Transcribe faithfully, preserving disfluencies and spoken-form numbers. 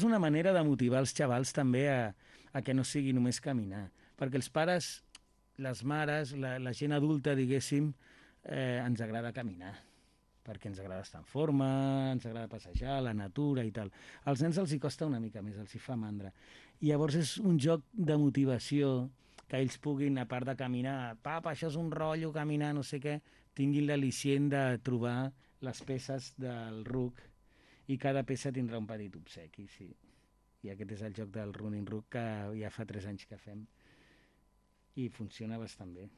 És una manera de motivar els xavals també a, a que no sigui només caminar, perquè els pares, les mares, la, la gent adulta, diguéssim, eh, ens agrada caminar, perquè ens agrada estar en forma, ens agrada passejar, la natura i tal. Als nens els hi costa una mica més, els hi fa mandra. I llavors és un joc de motivació que ells puguin, a part de caminar, papa, això és un rotllo, caminar, no sé què, tinguin l'al·licient de trobar les peces del ruc i cada peça tindrà un petit obsequi, sí. I aquest és el joc del Running Rook que ja fa tres anys que fem i funciona bastant bé.